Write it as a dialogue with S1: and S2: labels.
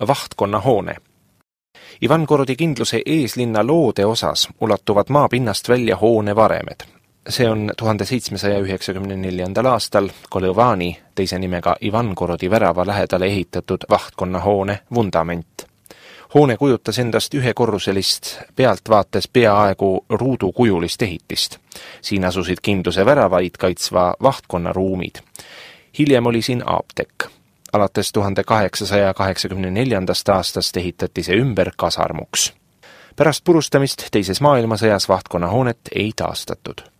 S1: vahtkonna hoone. Ivangorodi kindluse eeslinna loode osas ulatuvad maapinnast välja hoone varemed. See on 1794. aastal Kolovani, teise nimega Ivangorodi värava lähedale ehitatud vahtkonna hoone vundament. Hoone kujutas endast ühekorruselist pealtvaates peaaegu ruudukujulist ehitist. Siin asusid kindluse väravaid kaitsva vahtkonna ruumid. Hiljem oli siin apteek. Alates 1884. aastast ehitati see ümber kasarmuks. Pärast purustamist teises maailmasõjas vahtkonna hoonet ei taastatud.